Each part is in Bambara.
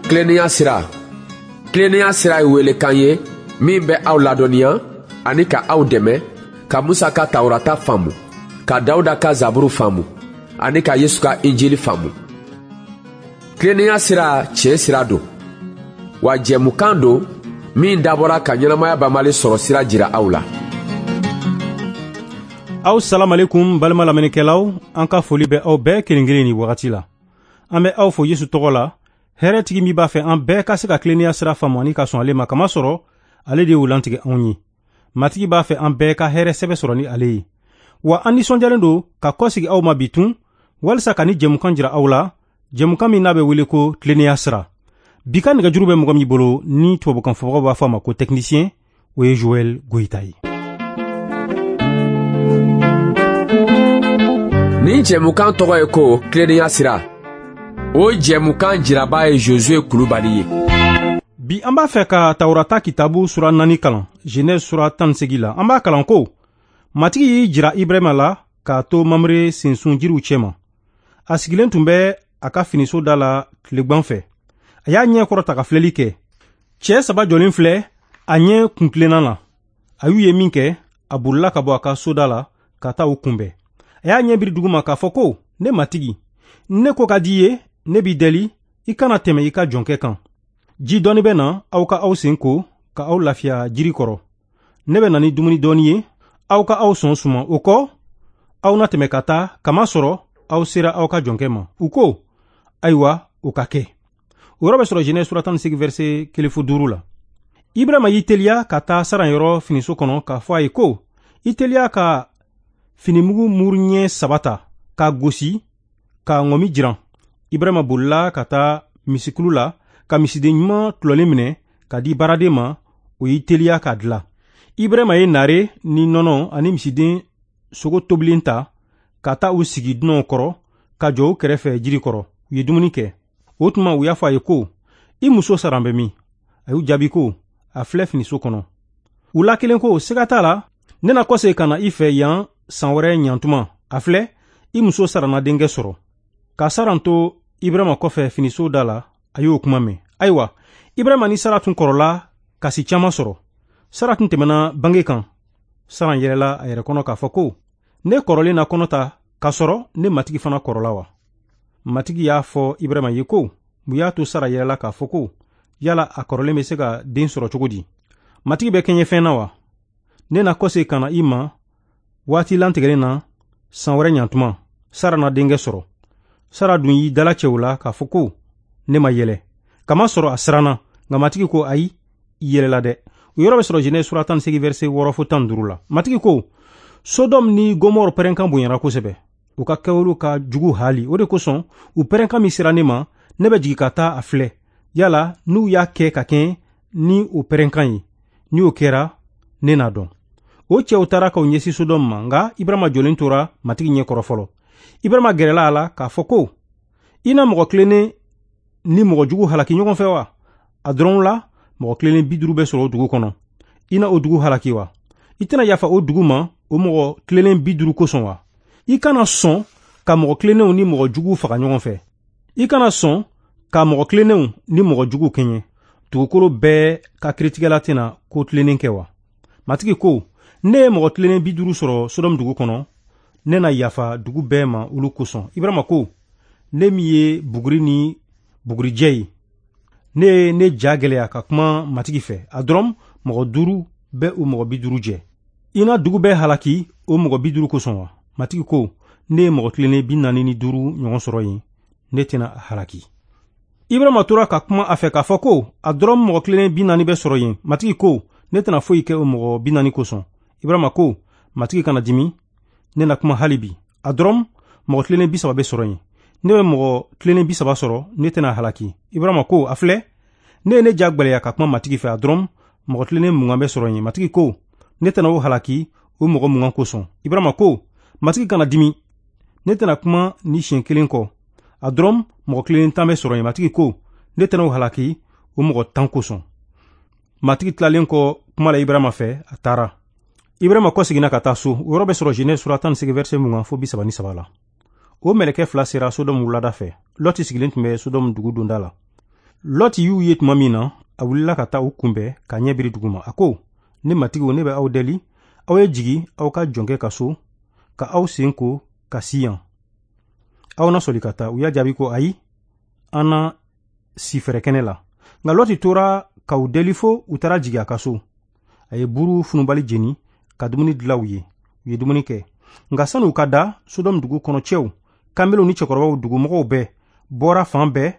Tilennenya sira. Tilennenya sira ye welekan ye min bɛ aw ladɔnniya ani ka aw dɛmɛ ka Musa ka Tawurata faamu, ka Dawuda ka Zaburu faamu ani ka Yesu ka Injili faamu. Tilennenya sira tiɲɛ sira don, wa jɛmukan don min dabɔra ka ɲɛnamaya banbali sɔrɔ sira jira aw la. Aw salamalekum balima lamɛnnikɛlaw, an ka foli bɛ aw bɛɛ kelen kelen ni wagati la. An bɛ aw fo Yesu tɔgɔ la, hɛrɛtigi min b'a fɛ an bɛɛ ka se ka tilennenya sira faamu ani ka sɔn ale ma, kamasɔrɔ ale de y'o lantigɛ anw ye. Matigi b'a fɛ an bɛɛ ka hɛrɛ sɛbɛ sɔrɔ ni ale ye. Wa an nisɔndiyalen don ka kɔsegi aw ma bi tun, walisa ka ni jɛmukan jira aw la, jɛmukan min n'a bɛ wele ko tilennenya sira. Bi ka nɛgɛjuru bɛ mɔgɔ min bolo ni tubabukan fɔbagaw b'a fɔ a ma ko technicien, o ye Joël Goyita ye. Nin jɛmukan tɔgɔ ye ko tilennenya sira. O jɛmukan jiraba ye Josué Kulubali ye. Bi an b'a fɛ ka Tawurata kitabu sura 4 kalan, Genèse sura 18 la. An b'a kalan ko Matigi y'i jira Ibrahima la k'a to Mamre sensun jiriw cɛma. A sigilen tun bɛ a ka finiso da la tilegan fɛ. A y'a ɲɛ kɔrɔta ka filɛli kɛ. Cɛ 3 jɔlen filɛ a ɲɛ kuntilenna na. A y'u ye min kɛ, a bolila ka bɔ a ka soda la ka taa u kunbɛn. A y'a ɲɛ biri duguma k'a fɔ ko, ne Matigi, ne ko ka di i ye, ne b'i deli, i kana tɛmɛ i ka jɔnkɛ kan. Ji dɔɔni bɛ na, aw ka aw sen ko, ka aw lafiya jiri kɔrɔ. Ne bɛ na ni dumuni dɔɔni ye, aw ka aw sɔn suma. O kɔ, aw na tɛmɛ ka taa, kamasɔrɔ aw sera aw ka jɔnkɛ ma. U ko, ayiwa, o ka kɛ. O yɔrɔ bɛ sɔrɔ Genèse sura 18 verset 1 fo 5 la. Ibrahima y'i teliya ka taa Saran yɔrɔ finiso kɔnɔ k'a fɔ a ye ko, i teliya ka finimugu muru ɲɛ 3 ta k'a gosi k'a ŋɔmi jiran. Ibrahima bolila ka taa misikulu la ka misiden ɲuman tulɔlen minɛ ka di baaraden ma, o y'i teliya k'a dilan. Ibrahima ye nare ni nɔnɔ ani misiden sogo tobilen ta ka taa u sigi dunanw kɔrɔ ka jɔ u kɛrɛfɛ jiri kɔrɔ. U ye dumuni kɛ. O tuma u y'a fɔ a ye ko, i muso Saran bɛ min? A y'u jaabi ko, a filɛ finiso kɔnɔ. U la kelen ko, siga t'a la, ne na kɔsegin ka na i fɛ yan san wɛrɛ ɲantuma. A filɛ, i muso Saran na denkɛ sɔrɔ. Ka Saran to Ibrahima kɔfɛ finiso da la, a y'o kuma mɛn. Ayiwa, Ibrahima ni Sara tun kɔrɔla kasi caman sɔrɔ. Sara tun tɛmɛna bange kan. Saran yɛlɛla a yɛrɛ kɔnɔ k'a fɔ ko, ne kɔrɔlen na kɔnɔ ta k'a sɔrɔ ne matigi fana kɔrɔla wa? Matigi y'a fɔ Ibrahima ye ko, mun y'a to Sara yɛlɛla k'a fɔ ko, yala a kɔrɔlen bɛ se ka den sɔrɔ cogo di? Matigi bɛ kɛɲɛ fɛn na wa? Ne na kɔsegin ka na i ma waati lantigɛlen na san wɛrɛ ɲantuma. Sara na denkɛ sɔrɔ. Sara dun y'i dalacɛ o la k'a fɔ ko, ne ma yɛlɛ. Kamasɔrɔ a siranna, nka Matigi ko, ayi, i yɛlɛla dɛ. O yɔrɔ bɛ sɔrɔ Genèse sura 18 verset 6 fo 15 la. Matigi ko, Sodɔm ni Gomɔrɔ pɛrɛnkan bonyara kosɛbɛ. U ka kɛwalew ka jugu haali. O de kosɔn, u pɛrɛnkan min sera ne ma, ne bɛ jigin ka taa a filɛ. Yala n'u y'a kɛ ka kɛɲɛ ni o pɛrɛnkan ye, ni o kɛra, ne n'a dɔn. O cɛw taara k'u ɲɛsin Sodɔm ma, nka Ibrahima jɔlen tora Matigi ɲɛ kɔrɔ fɔlɔ. Ibrahima gɛrɛla a la k'a fɔ ko, i na mɔgɔ tilennen ni mɔgɔ jugu halaki ɲɔgɔn fɛ wa? A dɔrɔn la, mɔgɔ tilennen 50 bɛ sɔrɔ o dugu kɔnɔ. I na o dugu halaki wa? I tɛna yafa o dugu ma o mɔgɔ tilennen 50 kosɔn wa? I kana sɔn ka mɔgɔ tilennenw ni mɔgɔ juguw faga ɲɔgɔn fɛ. I kana sɔn ka mɔgɔ tilennenw ni mɔgɔ juguw kɛɲɛ. Dugukolo bɛɛ ka kiritigɛla tɛna ko tilennen kɛ wa? Matigi ko, ne ye mɔgɔ tilennen 50 sɔrɔ Sodɔm dugu kɔnɔ, ne na yafa dugu bɛɛ ma olu kosɔn. Ibrahima ko, ne min ye buguri ni bugurijɛ ye, ne ye ne ja gɛlɛya ka kuma Matigi fɛ. A dɔrɔn mɔgɔ 5 bɛ o mɔgɔ 50 jɛ. I na dugu bɛɛ halaki o mɔgɔ 50 kosɔn wa? Matigi ko, ne ye mɔgɔ tilennen 45 ɲɔgɔn sɔrɔ yen, ne tɛna a halaki. Ibrahima tora ka kuma a fɛ k'a fɔ ko, a dɔrɔn mɔgɔ tilennen 40 bɛ sɔrɔ yen. Matigi ko, ne tɛna foyi kɛ o mɔgɔ 40 kosɔn. Ibrahima ko, Matigi kana dimi, ne na kuma hali bi. A dɔrɔn mɔgɔ tilennen 30 bɛ sɔrɔ yen. Ne bɛ mɔgɔ tilennen 30 sɔrɔ, ne tɛna halaki. Ibrahima ko, a filɛ, ne ye ne ja gwɛlɛya ka kuma Matigi fɛ. A dɔrɔn mɔgɔ tilennen 20 bɛ sɔrɔ yen. Matigi ko, ne tɛna o halaki o mɔgɔ 20 kosɔn. Ibrahima ko, Matigi kana dimi, ne tɛna kuma ni siɲɛ kelen kɔ. A dɔrɔn mɔgɔ tilennen 10 bɛ sɔrɔ yen. Matigi ko, ne tɛna o halaki o mɔgɔ 10 kosɔn. Matigi tilalen kɔ kuma la Ibrahima fɛ, a taara. Ibrahima kɔseginna ka taa so. O yɔrɔ bɛ sɔrɔ Genèse sura 18 verset 20 fo 33 la. O mɛlɛkɛ 2 sera Sodɔm wulada fɛ. Lɔti sigilen tun bɛ Sodɔm dugu donda la. Lɔti y'u ye tuma min na, a wulila ka taa u kunbɛn ka ɲɛ biri dugu ma. A ko, ne matigiw, ne bɛ aw deli, aw ye jigin aw ka jɔnkɛ ka so, ka aw sen ko ka si yan. Aw na sɔli ka taa. U y'a jaabi ko, ayi, an na si fɛrɛkɛnɛ la. Nka Lɔti tora ka u deli fo u taara jigin a ka so. A ye buru funubali jeni ka dumuni dilan u ye. U ye dumuni kɛ. Nka sani u ka da, Sodɔmu dugu kɔnɔ cɛw, kanbelenw ni cɛkɔrɔbaw, dugumɔgɔw bɛɛ bɔra fan bɛɛ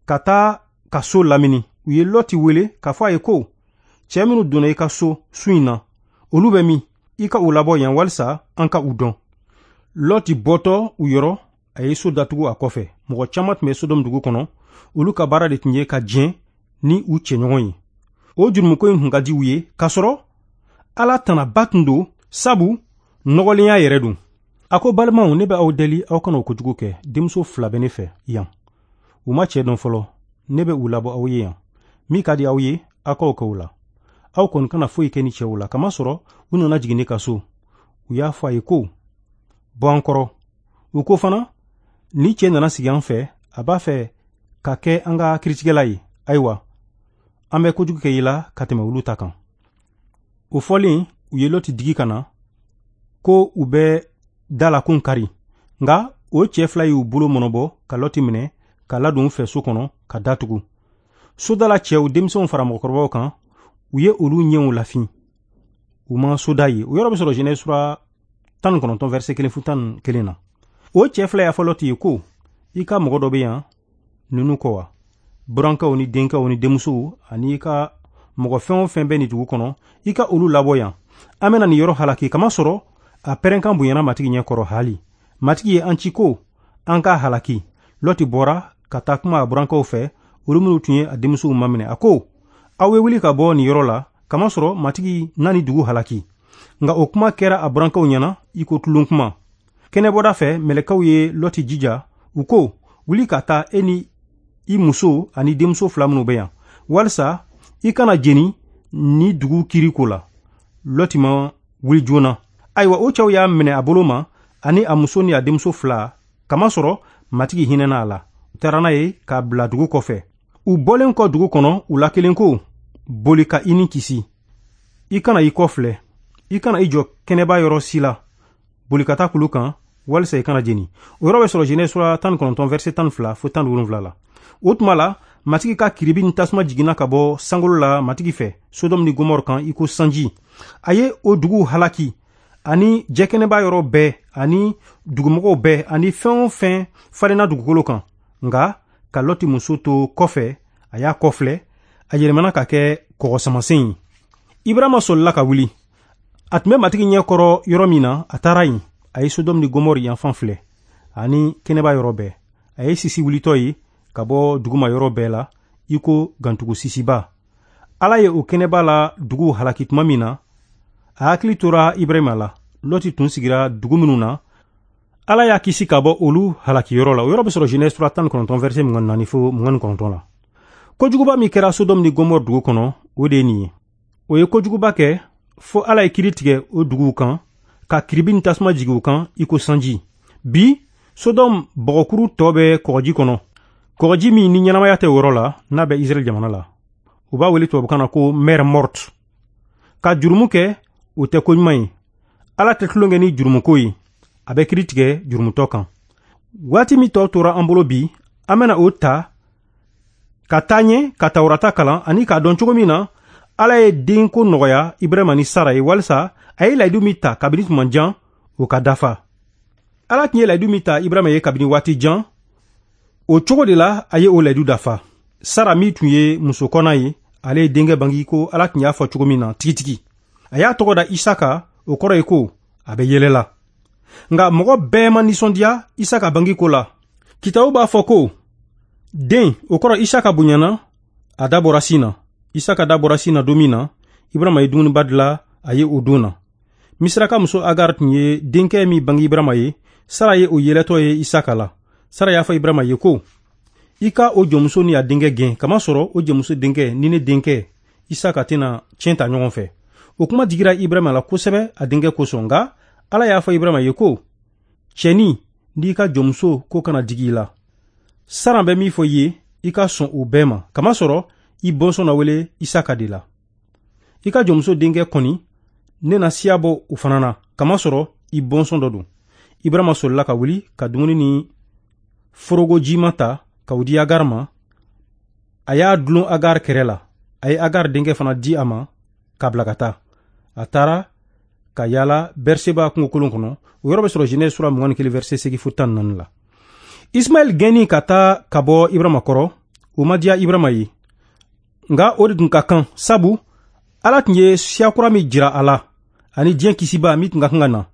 ka taa ka so lamini. U ye Lɔti wele k'a fɔ a ye ko, cɛɛ minnu donna i ka so su in na, olu bɛ min? I ka u labɔ yan walisa an ka u dɔn. Lɔti bɔtɔ u yɔrɔ, a ye so datugu a kɔfɛ. Mɔgɔ caman tun bɛ Sodɔmu dugu kɔnɔ, olu ka baara de tun ye ka jɛn ni u cɛɲɔgɔn ye. O jurumuko in tun ka di u ye, k'a sɔrɔ Ala tanaba tun don, sabu nɔgɔlenya yɛrɛ don. A ko, balimaw, ne bɛ aw deli, aw kana o kojugu kɛ. Denmuso fila bɛ ne fɛ yan, u ma cɛɛ dɔn fɔlɔ. Ne bɛ u labɔ aw ye yan. Min ka di aw ye, aw k'o kɛ u la. Aw kɔni kana foyi kɛ ni cɛw la, kamasɔrɔ u nana jigin ne ka so. U y'a fɔ a ye ko, bɔ an kɔrɔ. U ko fana, ni cɛ nana sigi an fɛ, a b'a fɛ ka kɛ an ka kiritigɛla ye. Ayiwa, an bɛ kojugu kɛ i la ka tɛmɛ olu ta kan. O fɔlen, u ye Lɔti digi ka na ko u bɛ da la kun kari. Nka o cɛ fila y'u bolo mɔnɔbɔ ka Lɔti minɛ ka ladon u fɛ so kɔnɔ ka datugu. Sodala cɛw, denmisɛnw fara mɔgɔkɔrɔbaw kan, u ye olu ɲɛw lafin. U ma soda ye. O yɔrɔ bɛ sɔrɔ Genèse sura 19 verset 1 fo 11 na. O cɛ fila y'a fɔ Lɔti ye ko, i ka mɔgɔ dɔ bɛ yan ninnu kɔ wa? Burankɛw ni denkɛw ni denmusow ani i ka mɔgɔ fɛn o fɛn bɛ nin dugu kɔnɔ, i ka olu labɔ yan. An bɛna nin yɔrɔ halaki, kamasɔrɔ a pɛrɛnkan bonyana Matigi ɲɛ kɔrɔ hali. Matigi ye an ci ko an k'a halaki. Lɔti bɔra ka taa kuma a burankɛw fɛ, olu minnu tun ye a denmusow maminɛ. A ko, aw ye wuli ka bɔ nin yɔrɔ la, kamasɔrɔ Matigi na nin dugu halaki. Nka o kuma kɛra a burankɛw ɲɛna i ko tulon kuma. Kɛnɛbɔda fɛ, mɛlɛkɛw ye Lɔti jija. U ko, wuli ka taa, e ni i muso ani denmuso fila minnu bɛ yan, walisa i kana jeni ni dugu kiri ko la. Lɔti ma wuli joona. Ayiwa, o cɛw y'a minɛ a bolo ma, ani a muso ni a denmuso fila, kamasɔrɔ Matigi hinɛna a la. U taara n'a ye k'a bila dugu kɔfɛ. U bɔlen kɔ dugu kɔnɔ, u la kelen ko, boli ka i ni kisi. I kana i kɔ filɛ, i kana i jɔ kɛnɛba yɔrɔ si la. Boli ka taa kulu kan, walisa i kana jeni. O yɔrɔ bɛ sɔrɔ Genèse sura 19 verset 12 fo 17 la. O tuma la, Matigi ka kiribi ni tasuma jiginna ka bɔ sankolo la Matigi fɛ Sodɔmu ni Gomɔrɔ kan i ko sanji. A ye o duguw halaki, ani jɛkɛnɛba yɔrɔ bɛɛ, ani dugumɔgɔw bɛɛ, ani fɛn o fɛn falenna dugukolo kan. Nka ka Lɔti muso to kɔfɛ, a y'a kɔfilɛ, a yɛlɛmana ka kɛ kɔgɔsamasen ye. Ibrahima sɔlila ka wuli. A tun bɛ Matigi ɲɛ kɔrɔ yɔrɔ min na, a taara yen. A ye Sodɔmu ni Gomɔrɔ yanfan filɛ, ani kɛnɛba yɔrɔ bɛɛ. A ye sisi wulitɔ ye ka bɔ duguma yɔrɔ bɛɛ la, i ko gantugu sisiba. Ala ye o kɛnɛba la duguw halaki tuma min na, a hakili tora Ibrahima la. Lɔti tun sigira dugu minnu na, Ala y'a kisi ka bɔ olu halaki yɔrɔ la. O yɔrɔ bɛ sɔrɔ Genèse sura 19 verset 24 fo 29 la. Kojuguba min kɛra Sodɔmu ni Gomɔrɔ dugu kɔnɔ, o de ye nin ye. O ye kojuguba kɛ fo Ala ye kiri tigɛ o duguw kan, ka kiribi ni tasuma jigin u kan i ko sanji. Bi, Sodɔmu bɔgɔkuru tɔ bɛ kɔgɔji kɔnɔ. Kɔgɔji min ni ɲɛnamaya tɛ o yɔrɔ la, n'a bɛ Israɛl jamana la. U b'a wele tubabukan na ko mer morte. Ka jurumu kɛ, o tɛ ko ɲuman ye. Ala tɛ tulon kɛ ni jurumuko ye. A bɛ kiri tigɛ jurumutɔ kan. Waati min tɔ tora an bolo bi, an bɛna o ta ka taa ɲɛ ka Tawurata kalan ani k'a dɔn cogo min na Ala ye denko nɔgɔya Ibrahima ni Sara ye, walisa a ye layidu min ta kabini tuma jan, o ka dafa. Ala tun ye layidu min ta Ibrahima ye kabini waati jan, o cogo de la a ye o layidu dafa. Sara min tun ye muso kɔnna ye, ale ye denkɛ bange ko Ala tun y'a fɔ cogo min na tigitigi. A y'a tɔgɔ da Isaka, o kɔrɔ ye ko a bɛ yɛlɛ la. Nka mɔgɔ bɛɛ ma nisɔndiya Isaka bange ko la. Kitabu b'a fɔ ko den, o kɔrɔ Isaka bonyana, a da bɔra sin na. Isaka da bɔra sin na don min na, Ibrahima ye dumuniba dilan a ye o don na. Misiraka muso Agar tun ye denkɛ min bange Ibrahima ye, Sara ye o yɛlɛtɔ ye Isaka la. Sara y'a fɔ Ibrahima ye ko, i ka o jɔnmuso ni a denkɛ gɛn, kamasɔrɔ o jɔnmuso denkɛ ni ne denkɛ Isaka tɛna tiɲɛ ta ɲɔgɔn fɛ. O kuma digira Ibrahima la kosɛbɛ a denkɛ kosɔn. Nka Ala y'a fɔ Ibrahima ye ko, cɛnin, n'i ka jɔnmuso ko kana digi i la. Sara bɛ min fɔ i ye, I ka sɔn o bɛɛ ma, kamasɔrɔ i bɔnsɔn na wele Isaka de la. I ka jɔnmuso denkɛ kɔni, ne na siya bɔ o fana na, kamasɔrɔ i bɔnsɔn dɔ don. Ibrahima solila ka wuli ka dumuni ni forogo jima ta ka o di Agar ma. A y'a dulon Agar kɛrɛ la. A ye Agar denkɛ fana di a ma k'a bila ka taa. A taara ka yaala Berseba kungokolon kɔnɔ. O yɔrɔ bɛ sɔrɔ Genèse sura 21 verset 8 fo 14 la. Ismaɛl gɛnni ka taa ka bɔ Ibrahima kɔrɔ, o ma diya Ibrahima ye. Nka o de tun ka kan, sabu Ala tun ye siya kura min jira a la, ani diɲɛ kisiba min tun ka kan ka na,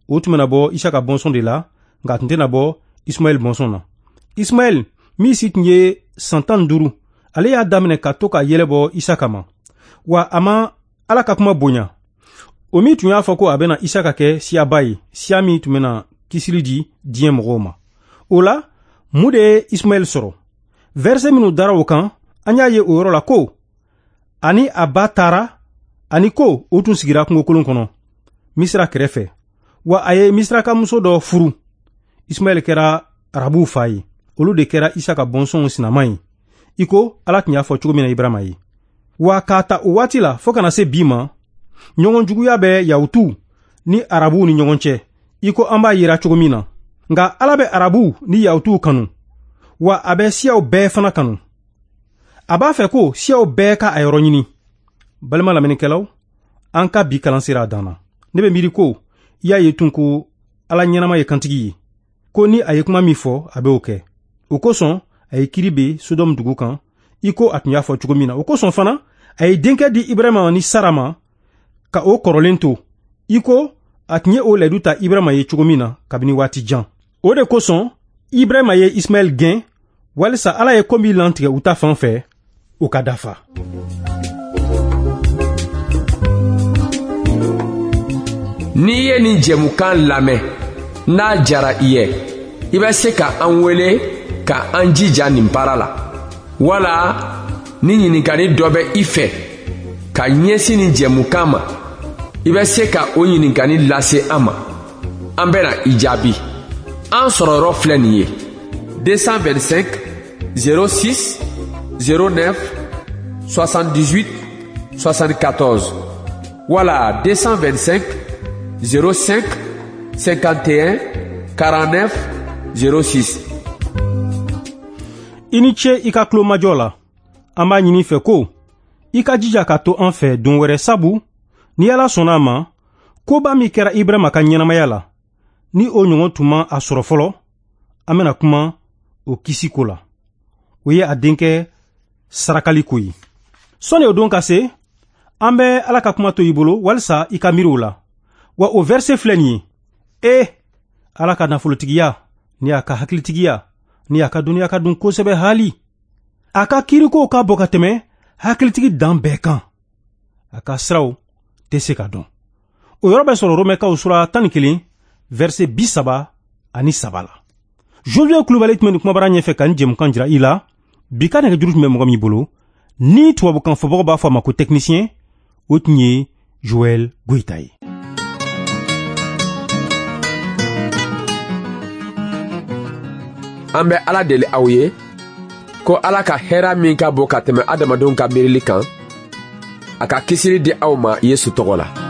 o tun bɛna bɔ Isaka bɔnsɔn de la, nka a tun tɛna bɔ Ismaɛl bɔnsɔn na. Ismaɛl min si tun ye san 15, ale y'a daminɛ ka to ka yɛlɛ bɔ Isaka ma. Wa a ma Ala ka kuma bonya. O min tun y'a fɔ ko a bɛna Isaka kɛ siyaba ye, siya min tun bɛna kisili di diɲɛ mɔgɔw ma. O la, mun de ye Ismaɛl sɔrɔ? Verset minnu dara o kan, an y'a ye o yɔrɔ la ko ani a ba taara, ani ko o tun sigira kungokolon kɔnɔ Misira kɛrɛfɛ. Wa a ye Misirakamuso dɔ furu. Ismaɛl kɛra Arabuw fa ye. Olu de kɛra Isaka bɔnsɔnw sinama ye, i ko Ala tun y'a fɔ cogo min na Ibrahima ye. Wa k'a ta o waati la fɔɔ kana se bi ma, ɲɔgɔn juguya bɛ Yahutuw ni Arabuw ni ɲɔgɔn cɛ, i ko an b'a yira cogo min na. Nka Ala bɛ Arabuw ni Yahutuw kanu, wa a bɛ siyaw bɛɛ fana kanu. A b'a fɛ ko siyaw bɛɛ ka a yɔrɔ ɲini. Balima lamɛnnikɛlaw, an ka bi kalan sera a dan na. Ne bɛ miiri ko i y'a ye tun ko Ala ɲɛnama ye kantigi ye, ko ni a ye kuma min fɔ, a bɛ o kɛ. O kosɔn a ye kiri be Sodɔmu dugu kan, i ko a tun y'a fɔ cogo min na. O kosɔn fana a ye denkɛ di Ibrahima ni Sara ma ka o kɔrɔlen to, i ko a tun ye o layidu ta Ibrahima ye cogo min na kabini waati jan. O de kosɔn Ibrahima ye Ismaɛl gɛn, walisa Ala ye ko min lantigɛ u ta fan fɛ, o ka dafa. N'i ye nin jɛmukan lamɛn, n'a jara i ye, i bɛ se ka an wele ka an jija nin baara la. Wala ni ɲininkali dɔ bɛ i fɛ ka ɲɛsin nin jɛmukan ma, i bɛ se ka o ɲininkali lase an ma. An bɛna i jaabi. An sɔrɔ yɔrɔ filɛ nin ye: 225 06 09 78 74 wala 225 05 51 49 06. I ni ce i ka tulomajɔ la. An b'a ɲini fɛ ko i ka jija ka to an fɛ don wɛrɛ, sabu ni Ala sɔnna a ma, koba min kɛra Ibrahima ka ɲɛnamaya la, ni o ɲɔgɔn tun ma a sɔrɔ fɔlɔ, an bɛna kuma o kisi ko la. O ye a denkɛ sarakali ko ye. Sɔnni o don ka se, an bɛ Ala ka kuma to i bolo walisa i ka miiri o la. Wa o verset filɛ nin ye: E Ala ka nafolotigiya ni a ka hakilitigiya ni a ka dɔnniya ka dun kosɛbɛ haali. A ka kiirikow ka bɔ ka tɛmɛ hakilitigi dan bɛɛ kan. A ka siraw tɛ se ka dɔn. O yɔrɔ bɛ sɔrɔ Romɛkaw sura 11 verset 33 la. Josué Kulubali tun bɛ nin kumabara ɲɛfɛ ka nin jɛmukan jira i la. Bi ka nɛgɛjuru tun bɛ mɔgɔ min bolo, ni tubabukan fɔbagaw b'a fɔ a ma ko technicien, o tun ye Joël Goïta ye. An bɛ Ala deli aw ye ko Ala ka hɛrɛ min ka bon ka tɛmɛ adamadenw ka miirili kan, a ka kisili di aw ma Yesu tɔgɔ la.